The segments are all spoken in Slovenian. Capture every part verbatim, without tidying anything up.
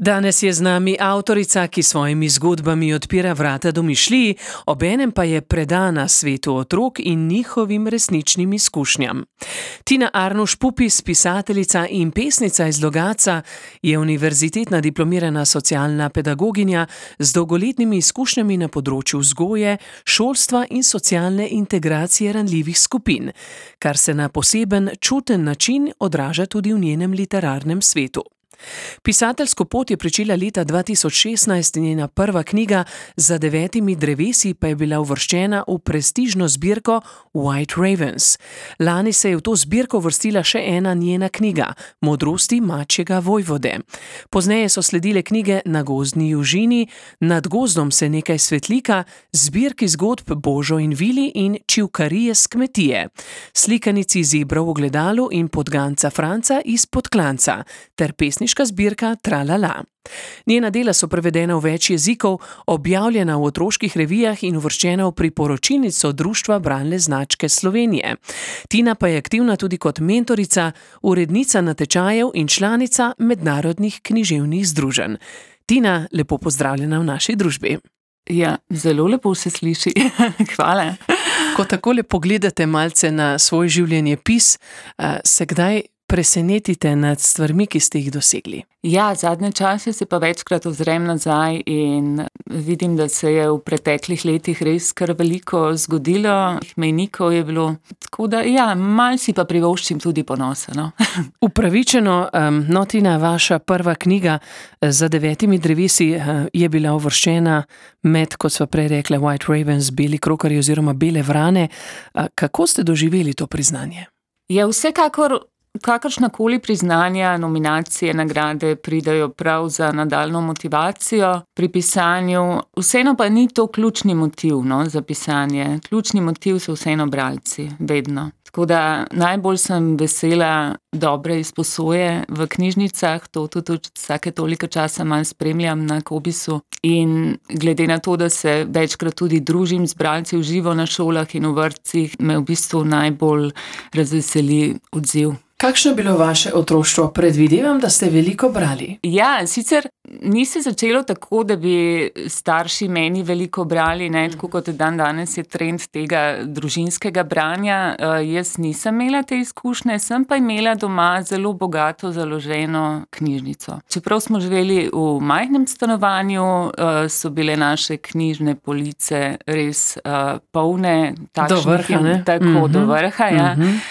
Danes je z nami avtorica, ki svojimi zgodbami odpira vrata domišljiji, obenem pa je predana svetu otrok in njihovim resničnim izkušnjam. Tina Arnuš Pupis, pisateljica in pesnica iz Logatca, je univerzitetna diplomirana socialna pedagoginja z dolgoletnimi izkušnjami na področju vzgoje, šolstva in socialne integracije ranljivih skupin, kar se na poseben, čuten način odraža tudi v njenem literarnem svetu. Pisateljsko pot je pričela leta dva tisoč šestnajst, njena prva knjiga Za devetimi drevesi pa je bila uvrščena v prestižno zbirko White Ravens. Lani se je v to zbirko uvrstila še ena njena knjiga, Modrosti mačjega vojvode. Pozneje so sledile knjige Na gozdni južini, Nad gozdom se nekaj svetlika, zbirki zgodb Božo in Vili in Čivkarije s kmetije, slikanici Zebra v ogledalu in Podganca Franca iz Podklanca ter pesniška zbirka Tralala. Njena dela so prevedena v več jezikov, objavljena v otroških revijah in uvrščena v priporočilnico Društva bralne značke Slovenije. Tina pa je aktivna tudi kot mentorica, urednica natečajev in članica mednarodnih književnih združenj. Tina, lepo pozdravljena v naši družbi. Ja, zelo lepo se sliši. Hvala. Ko takole pogledate malce na svoj življenjepis, se kdaj presenetite nad stvarmi, ki ste jih dosegli? Ja, zadnje čase se pa večkrat ozrem nazaj in vidim, da se je v preteklih letih res kar veliko zgodilo, mejnikov je bilo, tako da ja, malo si pa privoščim tudi ponosa, no. Upravičeno, um, no, Tina, vaša prva knjiga Za devetimi drevesi uh, je bila uvrščena med, kot sva prej rekla, White Ravens, beli krokarji oziroma bele vrane. Uh, kako ste doživeli to priznanje? Ja, vsekakor kakršnakoli priznanja, nominacije, nagrade pridajo prav za nadaljnjo motivacijo pri pisanju. Vseeno pa ni to ključni motiv, no, za pisanje. Ključni motiv so vseeno bralci, vedno. Tako da najbolj sem vesela dobre izposoje v knjižnicah, to tudi vsake toliko časa malo spremljam na Kobisu. In glede na to, da se večkrat tudi družim z bralci v živo na šolah in v vrtcih, me v bistvu najbolj razveseli odziv. Kakšno je bilo vaše otroštvo? Predvidevam, da ste veliko brali. Ja, sicer ni se začelo tako, da bi starši meni veliko brali, ne, tako kot dan danes je trend tega družinskega branja. Uh, jaz nisem imela te izkušnje, sem pa imela doma zelo bogato založeno knjižnico. Čeprav smo živeli v majhnem stanovanju, uh, so bile naše knjižne police res uh, polne. Do vrha, ne? Tako, mm-hmm. do vrha, ja. Mm-hmm.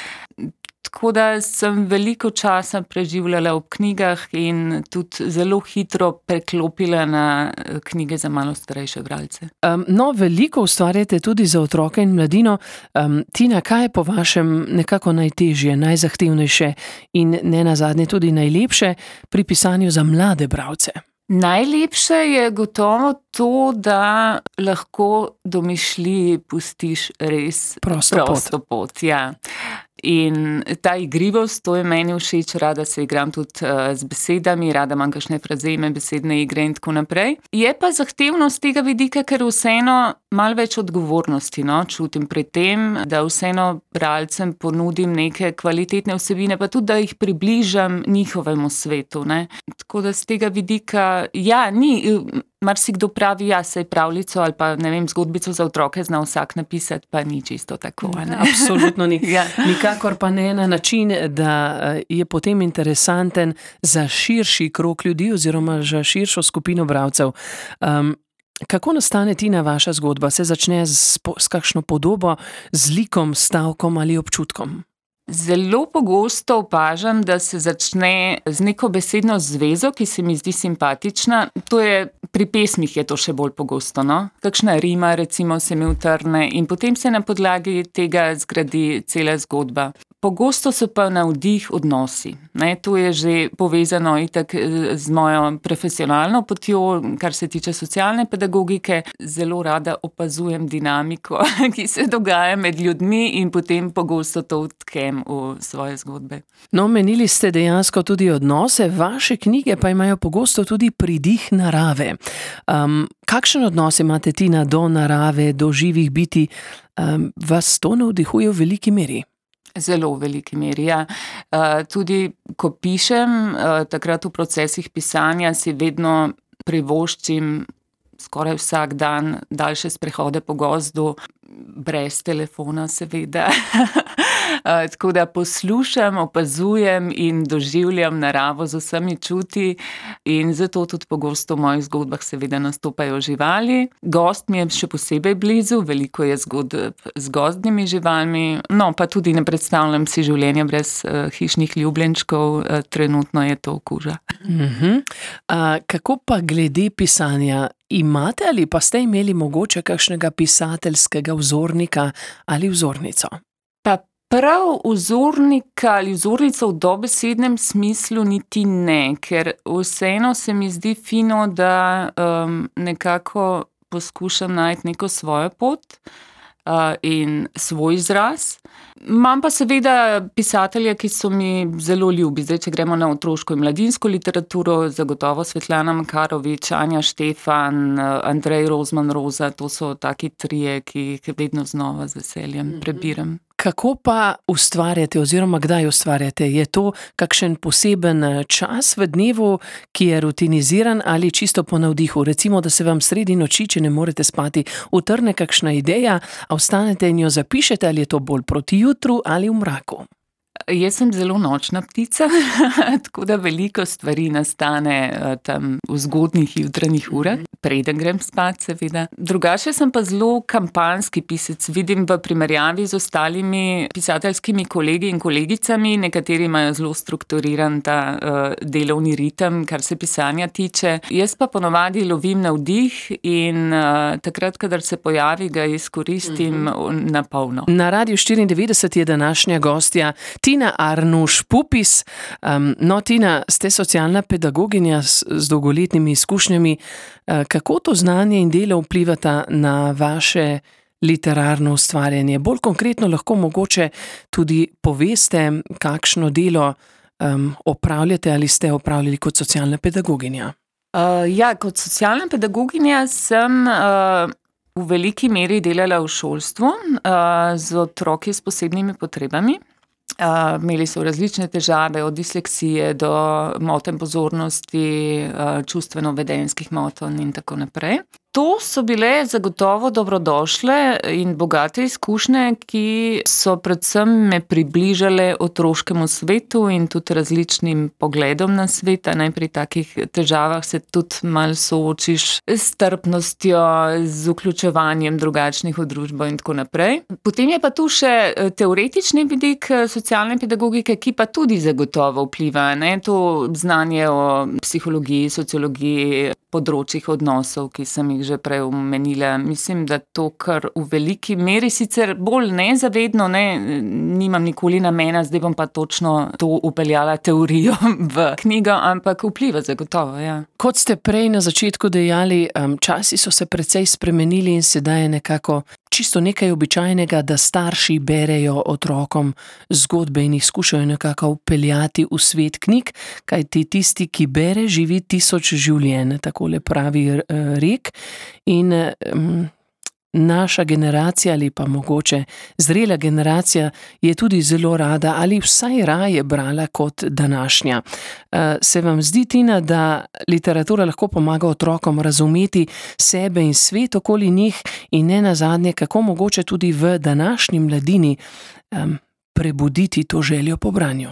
Tako da sem veliko časa preživljala v knjigah in tudi zelo hitro preklopila na knjige za malo starejše bralce. Um, no, veliko ustvarjate tudi za otroke in mladino. Um, Tina, kaj je po vašem nekako najtežje, najzahtevnejše in ne nazadnje tudi najlepše pri pisanju za mlade bralce? Najlepše je gotovo to, da lahko domišljiji pustiš res prosto, prosto pot. pot ja. In ta igrivost, to je meni všeč, rada se igram tudi uh, z besedami, rada imam kakšne frazeme, besedne igre in tako naprej. Je pa zahtevnost tega vidika, ker vseeno malo več odgovornosti, no, čutim pri tem, da vseeno bralcem ponudim neke kvalitetne vsebine, pa tudi, da jih približam njihovemu svetu, ne. Tako da z tega vidika, ja, ni... Marsikdo pravi, ja, saj pravljico ali pa, ne vem, zgodbico za otroke zna vsak napisati, pa ni čisto tako. Ne? Absolutno ni. Ja. Nikakor pa ne na način, da je potem interesanten za širši krog ljudi oziroma za širšo skupino bralcev. Um, kako nastane, Tina, vaša zgodba? Se začne s, s kakšno podobo, z likom, stavkom ali občutkom? Zelo pogosto opažam, da se začne z neko besedno zvezo, ki se mi zdi simpatična. To je, pri pesmih je to še bolj pogosto, no? Kakšna rima, recimo, se mi utrne in potem se na podlagi tega zgradi cela zgodba. Pogosto so pa navdih odnosi. Ne, to je že povezano itak z mojo profesionalno potjo, kar se tiče socialne pedagogike. Zelo rada opazujem dinamiko, ki se dogaja med ljudmi in potem pogosto to vtkem v svoje zgodbe. No, menili ste dejansko tudi odnose, vaše knjige pa imajo pogosto tudi pridih narave. Um, kakšen odnos imate, Tina, do narave, do živih bitij? Um, vas to navdihuje v veliki meri? Zelo v veliki meri, ja. Uh, tudi ko pišem, uh, takrat v procesih pisanja si vedno privoščim skoraj vsak dan daljše sprehode po gozdu, brez telefona seveda. Uh, tako da poslušam, opazujem in doživljam naravo z vsemi čuti in zato tudi pogosto v mojih zgodbah seveda nastopajo živali. Gozd mi je še posebej blizu, veliko je zgodb z gozdnimi živalmi, no pa tudi ne predstavljam si življenja brez uh, hišnih ljubljenčkov, uh, trenutno je to kuža. Uh-huh. Uh, kako pa glede pisanja? Imate ali pa ste imeli mogoče kakšnega pisateljskega vzornika ali vzornico? Pa prav vzornika ali vzornico v dobesednem smislu niti ne, ker vseeno se mi zdi fino, da um, nekako poskušam najti neko svojo pot uh, in svoj izraz. Imam pa seveda pisatelje, ki so mi zelo ljubi. Zdaj, če gremo na otroško in mladinsko literaturo, zagotovo Svetlana Makarovič, Anja Štefan, Andrej Rozman Roza, to so taki trije, ki jih vedno znova z veseljem prebiram. Kako pa ustvarjate oziroma kdaj ustvarjate? Je to kakšen poseben čas v dnevu, ki je rutiniziran ali čisto po navdihu? Recimo, da se vam sredi noči, če ne morete spati, utrne kakšna ideja, a vstanete in jo zapišete, ali je to bolj proti jutru ali v mraku? Jaz sem zelo nočna ptica, tako da veliko stvari nastane tam v zgodnjih jutranjih urah, preden grem spat seveda. Drugače sem pa zelo kampanjski pisec, vidim v primerjavi z ostalimi pisateljskimi kolegi in kolegicami, nekateri imajo zelo strukturiran ta uh, delovni ritem, kar se pisanja tiče. Jaz pa ponovadi lovim navdih in uh, takrat, kadar se pojavi, ga izkoristim uh-huh. na polno. Na Radiu štiriindevetdeset je današnja gostja Tina Arnuš Pupis. Um, no, Tina, ste socialna pedagoginja s, z dolgoletnimi izkušnjami. Uh, kako to znanje in delo vplivata na vaše literarno ustvarjanje? Bolj konkretno lahko mogoče tudi poveste, kakšno delo um, opravljate ali ste opravljali kot socialna pedagoginja? Uh, ja, kot socialna pedagoginja sem uh, v veliki meri delala v šolstvu uh, z otroki s posebnimi potrebami. Uh, imeli so različne težave, od disleksije do motenj pozornosti, uh, čustveno-vedenjskih motenj in tako naprej. To so bile zagotovo dobrodošle in bogate izkušnje, ki so predvsem me približale otroškemu svetu in tudi različnim pogledom na svet. Ne, pri takih težavah se tudi malo soočiš s strpnostjo, z vključevanjem drugačnih v družbo in tako naprej. Potem je pa tu še teoretični vidik socialne pedagogike, ki pa tudi zagotovo vpliva. Ne, to znanje o psihologiji, sociologiji, področjih odnosov, ki sem jih že prej omenila. Mislim, da to kar v veliki meri, sicer bolj nezavedno, ne, nimam nikoli namena, zdaj bom pa točno to upeljala teorijo v knjigo, ampak vpliva zagotovo, ja. Kot ste prej na začetku dejali, um, časi so se precej spremenili in sedaj je nekako čisto nekaj običajnega, da starši berejo otrokom zgodbe in jih skušajo nekako vpeljati v svet knjig, kajti tisti, ki bere, živi tisoč življenj, takole pravi rek. In um, naša generacija ali pa mogoče zrela generacija je tudi zelo rada ali vsaj raje brala kot današnja. Uh, se vam zdi, Tina, da literatura lahko pomaga otrokom razumeti sebe in svet okoli njih in ne nazadnje, kako mogoče tudi v današnji mladini um, prebuditi to željo po branju?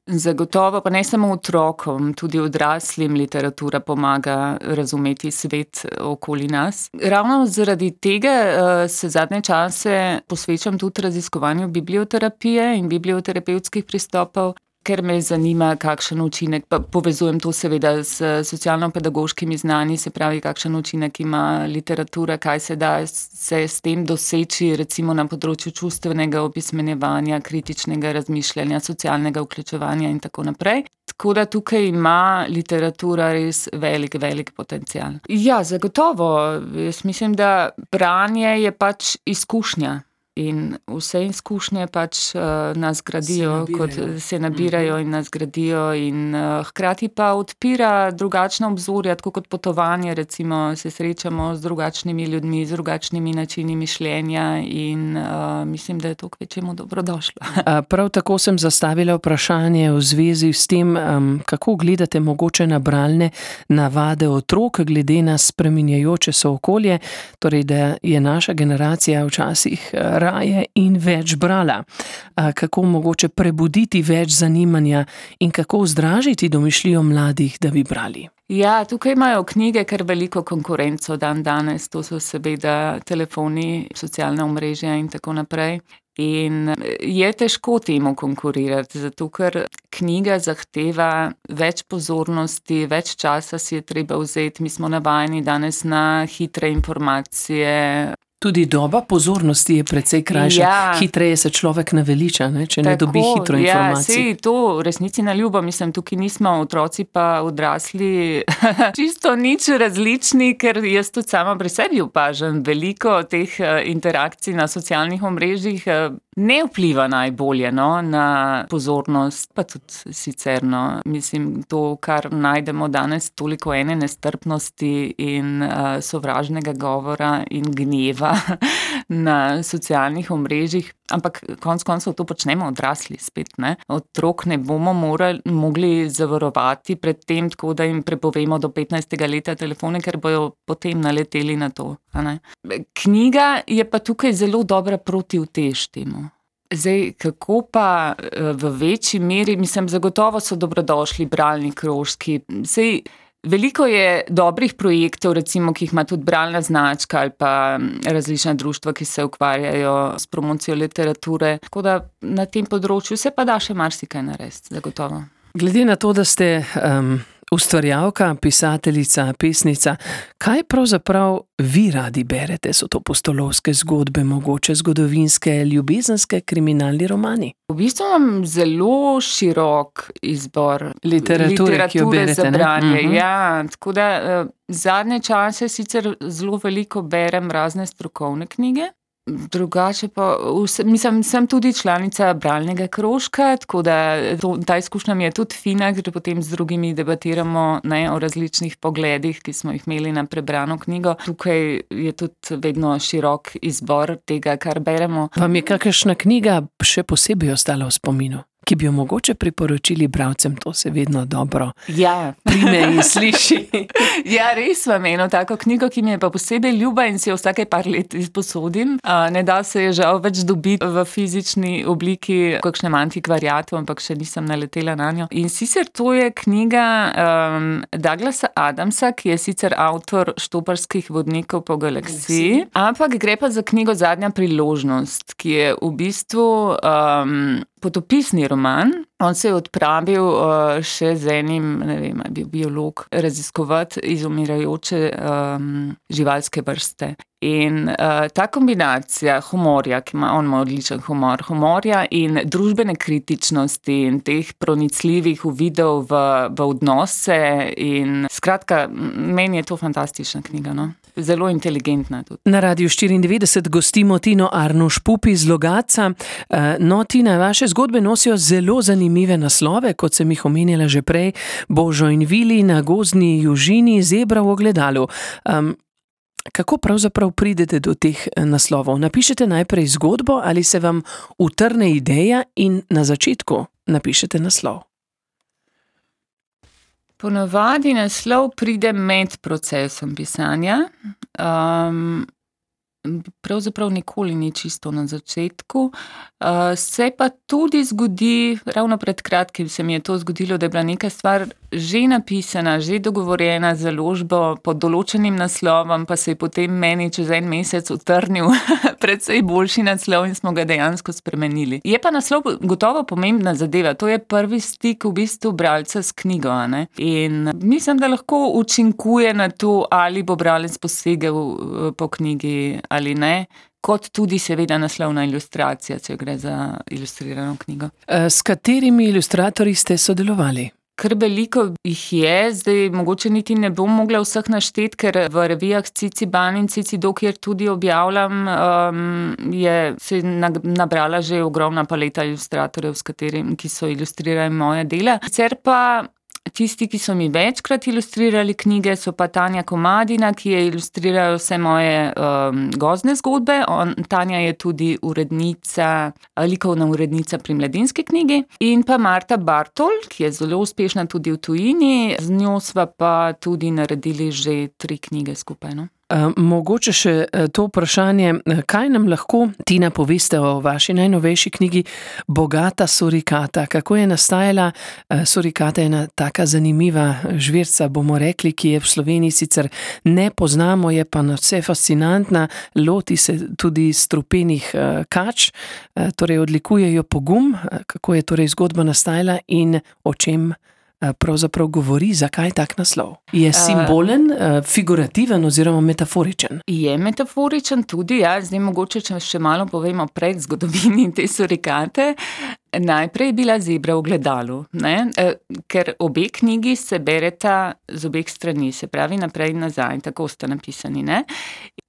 Zagotovo, pa ne samo otrokom, tudi odraslim literatura pomaga razumeti svet okoli nas. Ravno zaradi tega uh, se zadnje čase posvečam tudi raziskovanju biblioterapije in biblioterapevtskih pristopov, ker me zanima, kakšen učinek, pa povezujem to seveda s socialno-pedagoškimi znanji, se pravi, kakšen učinek ima literatura, kaj se da se s tem doseči, recimo na področju čustvenega opismenjevanja, kritičnega razmišljanja, socialnega vključevanja in tako naprej. Tako da tukaj ima literatura res velik, velik potencial. Ja, zagotovo. Jaz mislim, da branje je pač izkušnja. In vse izkušnje pač uh, nas gradijo, se kot se nabirajo in nas gradijo in uh, hkrati pa odpira drugačna obzorja, tako kot potovanje, recimo se srečamo z drugačnimi ljudmi, z drugačnimi načini mišljenja in uh, mislim, da je to kvečemu dobrodošlo. Prav tako sem zastavila vprašanje v zvezi s tem, um, kako gledate mogoče na bralne navade otrok, glede na spreminjajoče se okolje, torej da je naša generacija včasih raje in več brala. Kako mogoče prebuditi več zanimanja in kako vzdražiti domišljijo mladih, da bi brali? Ja, tukaj imajo knjige kar veliko konkurenco dan danes, to so seveda telefoni, socialna omrežja in tako naprej. In je težko temu konkurirati, zato ker knjiga zahteva več pozornosti, več časa si je treba vzeti, mi smo navajeni danes na hitre informacije. Tudi doba pozornosti je precej krajša. Ja. Hitreje se človek naveliča, ne? Če ne Tako, dobi hitro informacijo. Ja, sej to v resnici na ljubo, mislim, tukaj nismo otroci pa odrasli čisto nič različni, ker jaz tudi sama pri sebi opažam veliko teh interakcij na socialnih omrežjih, ne vpliva najbolje no, na pozornost, pa tudi sicer. No. Mislim, to, kar najdemo danes, toliko ene nestrpnosti in uh, sovražnega govora in gneva na socialnih omrežjih, ampak konec koncev to počnemo odrasli spet. Ne? Otrok ne bomo morali, mogli zavarovati pred tem, tako da jim prepovemo do petnajstega leta telefone, ker bojo potem naleteli na to. A ne? Knjiga je pa tukaj zelo dobra protiutež temu. Zdaj, kako pa v večji meri, mislim, zagotovo so dobrodošli bralni krožki. Zdaj, veliko je dobrih projektov, recimo, ki jih ima tudi bralna značka ali pa različna društva, ki se ukvarjajo s promocijo literature. Tako da na tem področju se pa da še marsikaj narediti, zagotovo. Glede na to, da ste um, ustvarjalka, pisateljica, pesnica, kaj pravzaprav vi radi berete? So to pustolovske zgodbe, mogoče zgodovinske, ljubezenske, kriminalni romani? V bistvu imam zelo širok izbor literature, literature ki jo berete, za branje. Uh-huh. Ja, tako da zadnje čase sicer zelo veliko berem razne strokovne knjige. Drugače pa, mislim, sem tudi članica bralnega krožka, tako da to, ta izkušnja mi je tudi fina, ker potem z drugimi debatiramo ne, o različnih pogledih, ki smo jih imeli na prebrano knjigo. Tukaj je tudi vedno širok izbor tega, kar beremo. Vam je kakšna knjiga še posebej ostala v spominu, ki bi jo mogoče priporočili bralcem? To se vedno dobro ja. prime in sliši. Ja, res imam eno tako knjigo, ki mi je pa posebej ljuba in si jo vsake par let izposodim. Ne da se je žal več dobiti v fizični obliki v kakšnem antikvariatu, ampak še nisem naletela na njo. In sicer to je knjiga um, Douglasa Adamsa, ki je sicer avtor Štoparskih vodnikov po galaksiji, ampak gre pa za knjigo Zadnja priložnost, ki je v bistvu um, potopisni roman. On se je odpravil uh, še z enim, ne vem, je bil biolog, raziskovati izumirajoče um, živalske vrste. In uh, ta kombinacija humorja, ki ima, on ima odličen humor, humorja in družbene kritičnosti in teh pronicljivih uvidov v, v odnose in skratka, meni je to fantastična knjiga, no? Zelo inteligentna tudi. Na Radiu štiriindevetdeset gostimo Tino Arnuš Pupi iz Logatca. No, Tina, vaše zgodbe nosijo zelo zanimive naslove, kot sem jih omenjala že prej. Božo in Vili na gozdni južini, Zebra v ogledalu. Um, kako pravzaprav pridete do teh naslovov? Napišete najprej zgodbo ali se vam utrne ideja in na začetku napišete naslov? Ponavadi naslov pride med procesom pisanja. Um, pravzaprav nikoli ni čisto na začetku. Uh, se pa tudi zgodi, ravno pred kratkim se mi je to zgodilo, da je bila neka stvar že napisana, že dogovorjena z založbo pod določenim naslovom, pa se je potem meni čez en mesec utrnil precej boljši naslov in smo ga dejansko spremenili. Je pa naslov gotovo pomembna zadeva, to je prvi stik v bistvu bralca s knjigo, ne? In mislim, da lahko učinkuje na to, ali bo bralec posegel po knjigi ali ne, kot tudi seveda naslovna ilustracija, če gre za ilustrirano knjigo. S katerimi ilustratorji ste sodelovali? kar veliko jih je, zdaj mogoče niti ne bom mogla vseh našteti, ker v revijah Ciciban in Cicido, kjer tudi objavljam, um, je se nabrala že ogromna paleta ilustratorjev, s katerim, ki so ilustrirali moje dela. Sicer pa tisti, ki so mi večkrat ilustrirali knjige, so pa Tanja Komadina, ki je ilustrirala vse moje um, gozdne zgodbe. On, Tanja je tudi urednica, likovna urednica pri Mladinski knjigi. In pa Marta Bartol, ki je zelo uspešna tudi v tujini. Z njo sva pa tudi naredili že tri knjige skupaj, no. Mogoče še to vprašanje, kaj nam lahko, Tina, poveste o vaši najnovejši knjigi Bogata surikata? Kako je nastajala? Surikata je ena taka zanimiva žvirca, bomo rekli, ki je v Sloveniji sicer ne poznamo, je pa nadvse fascinantna, loti se tudi strupenih kač, torej odlikujejo pogum. Kako je torej zgodba nastajala in o čem pravzaprav govori, zakaj tak naslov? Je simbolen, figurativen oziroma metaforičen? Je metaforičen tudi, ja. Zdaj mogoče, če še malo povemo pred zgodovini te surikate. Najprej je bila Zebra v gledalu, ne? Ker obe knjigi se bereta z obeh strani, se pravi naprej in nazaj, tako sta napisani, ne?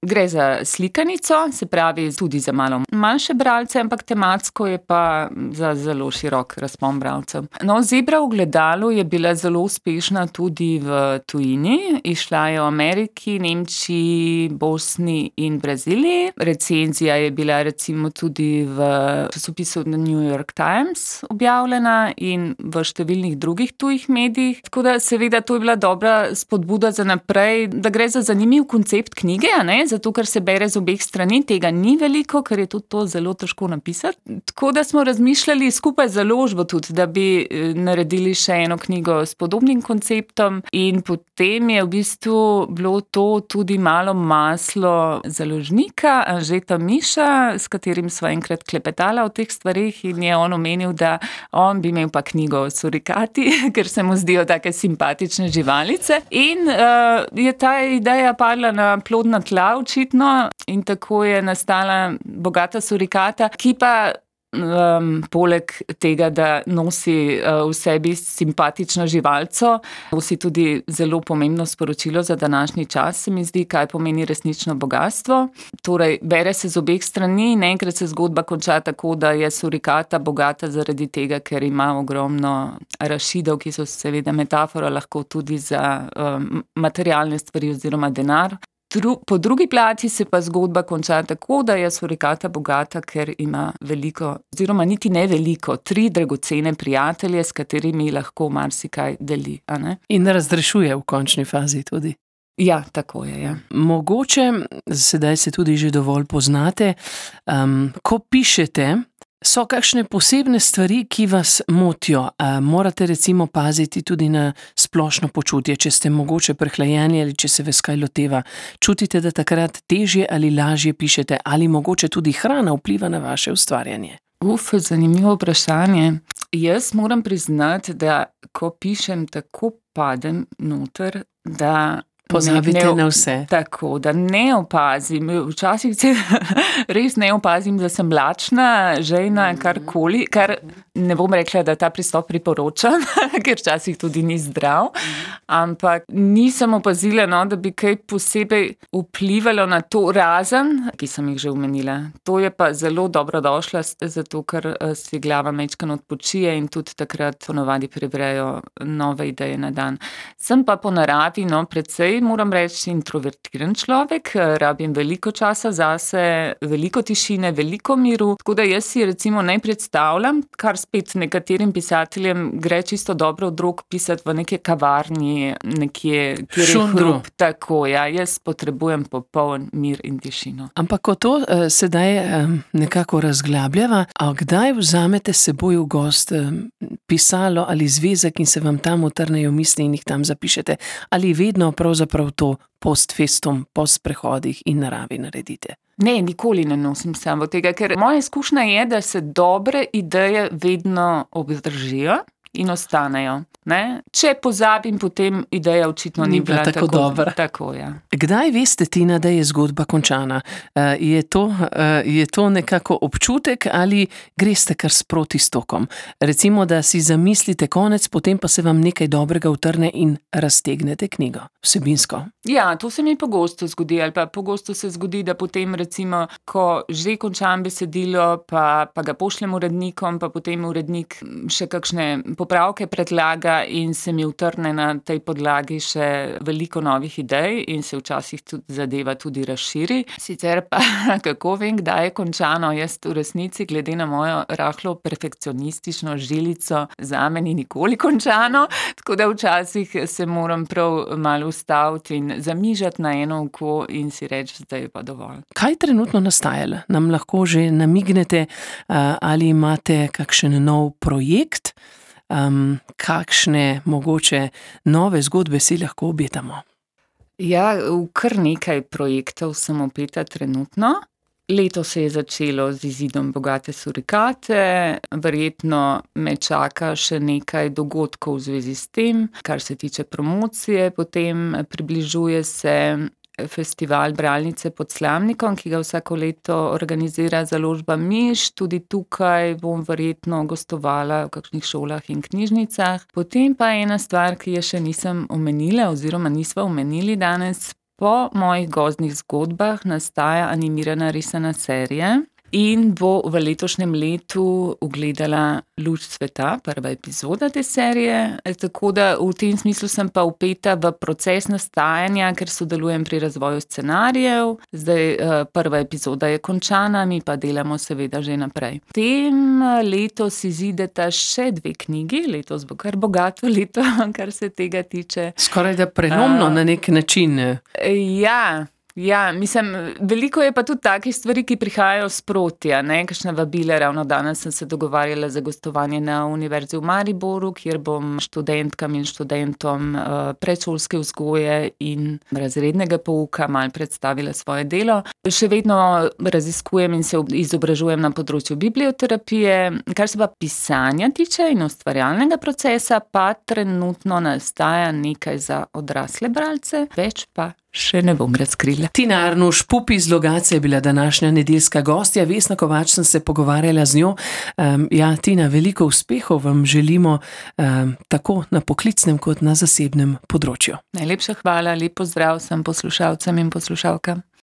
Gre za slikanico, se pravi tudi za malo manjše bralce, ampak tematsko je pa za zelo širok razpon bralcev. No, Zebra v gledalu je bila zelo uspešna tudi v tujini, išla je v Ameriki, Nemčiji, Bosni in Braziliji. Recenzija je bila recimo tudi v časopisu New York Times objavljena in v številnih drugih tujih medijih. Tako da seveda to je bila dobra spodbuda za naprej, da gre za zanimiv koncept knjige, a ne? Zato, ker se bere z obeh strani, tega ni veliko, ker je tudi to zelo težko napisati. Tako da smo razmišljali skupaj z založbo tudi, da bi naredili še eno knjigo s podobnim konceptom in potem je v bistvu bilo to tudi malo maslo založnika, Anžeta Miša, s katerim sva enkrat klepetala o teh stvarih in je on omenil, da on bi imel pa knjigo o surikati, ker se mu zdijo take simpatične živalice. In uh, je ta ideja padla na plodna tla očitno in tako je nastala Bogata surikata, ki pa Um, poleg tega, da nosi uh, v sebi simpatično živalco, nosi tudi zelo pomembno sporočilo za današnji čas, se mi zdi, kaj pomeni resnično bogastvo. Torej, bere se z obeh strani in enkrat se zgodba konča tako, da je surikata bogata zaradi tega, ker ima ogromno rašidov, ki so seveda metafora lahko tudi za um, materialne stvari oziroma denar. Po drugi plati se pa zgodba konča tako, da je surikata bogata, ker ima veliko, oziroma niti ne veliko, tri dragocene prijatelje, s katerimi lahko marsikaj deli, a ne? In razrešuje v končni fazi tudi. Ja, tako je, ja. Mogoče, sedaj se tudi že dovolj poznate, um, ko pišete, so kakšne posebne stvari, ki vas motijo? A morate recimo paziti tudi na splošno počutje, če ste mogoče prehlajeni ali če se vas kaj loteva. Čutite, da takrat težje ali lažje pišete ali mogoče tudi hrana vpliva na vaše ustvarjanje? Uf, zanimivo vprašanje. Jaz moram priznati, da ko pišem, tako padem noter, da pozabite ne, na vse. Tako, da ne opazim. Včasih se res ne opazim, da sem lačna, žejna, karkoli, kar ne bom rekla, da ta pristop priporočam, ker včasih tudi ni zdrav, ampak nisem opazila, no, da bi kaj posebej vplivalo na to razen, ki sem jih že omenila. To je pa zelo dobrodošla, zato ker si glava majčkeno odpočije in tudi takrat ponavadi prebrejo nove ideje na dan. Sem pa po naravi, no, precej moram reči, introvertiran človek, rabim veliko časa zase, veliko tišine, veliko miru, tako da jaz si recimo ne predstavljam, kar spet nekaterim pisateljem gre čisto dobro od rok pisati v neke kavarni, nekje, kjer je hrup. Tako, ja, jaz potrebujem popoln mir in tišino. Ampak ko to uh, sedaj um, nekako razglabljava, a kdaj vzamete s seboj v gost um, pisalo ali zvezek in se vam tam utrnejo misli in jih tam zapišete? Ali vedno pravzaprav prav to post festum, po sprehodih in naravi naredite? Ne, nikoli ne nosim samo tega, ker moja izkušnja je, da se dobre ideje vedno obdržijo in ostanejo. Ne? Če pozabim, potem ideja očitno ni, Ni bila bila tako dobra. Tako, ja. Kdaj veste, Tina, da je zgodba končana? Uh, je, to, uh, je to nekako občutek ali greste kar sproti s tokom? Recimo, da si zamislite konec, potem pa se vam nekaj dobrega utrne in raztegnete knjigo vsebinsko. Ja, to se mi pogosto zgodi, ali pa pogosto se zgodi, da potem recimo, ko že končam besedilo, pa, pa ga pošljem urednikom, pa potem urednik še kakšne popravke predlaga in se mi utrne na tej podlagi še veliko novih idej in se včasih tudi zadeva tudi razširi. Sicer pa, kako vem, kdaj je končano, jaz v resnici, glede na mojo rahlo perfekcionistično žilico, zame ni nikoli končano, tako da včasih se moram prav malo ustaviti in zamižati na eno oko in si reči, da je pa dovolj. Kaj trenutno nastaja? Nam lahko že namignete, uh, ali imate kakšen nov projekt? Um, kakšne mogoče nove zgodbe si lahko obetamo? Ja, v kar nekaj projektov sem opeta trenutno. Leto se je začelo z izidom Bogate surikate, verjetno me čaka še nekaj dogodkov v zvezi s tem, kar se tiče promocije, potem približuje se festival Bralnice pod Slamnikom, ki ga vsako leto organizira založba Miš. Tudi tukaj bom verjetno gostovala v kakšnih šolah in knjižnicah. Potem pa ena stvar, ki je še nisem omenila oziroma nisva omenili danes. Po mojih gozdnih zgodbah nastaja animirana risana serija in bo v letošnjem letu ugledala luč sveta, prva epizoda te serije. Tako da v tem smislu sem pa vpeta v proces nastajanja, ker sodelujem pri razvoju scenarijev. Zdaj prva epizoda je končana, mi pa delamo seveda že naprej. V tem letos izideta še dve knjigi, letos bo kar bogato leto, kar se tega tiče. Skoraj da prenomno uh, na nek način. Ja. Ja, mislim, veliko je pa tudi takih stvari, ki prihajajo sproti, ne, kakšne vabile. Ravno danes sem se dogovarjala za gostovanje na Univerzi v Mariboru, kjer bom študentkam in študentom uh, predšolske vzgoje in razrednega pouka malo predstavila svoje delo. Še vedno raziskujem in se izobražujem na področju biblioterapije. Kar se pa pisanja tiče in ustvarjalnega procesa, pa trenutno nastaja nekaj za odrasle bralce, več pa še ne bom razkrila. Tina Arnuš Pupi iz Logatca je bila današnja nedeljska gostja. Vesna Kovač sem se pogovarjala z njo. Um, ja, Tina, veliko uspehov vam želimo um, tako na poklicnem kot na zasebnem področju. Najlepša hvala, lep pozdrav vsem poslušalcem in poslušalkam.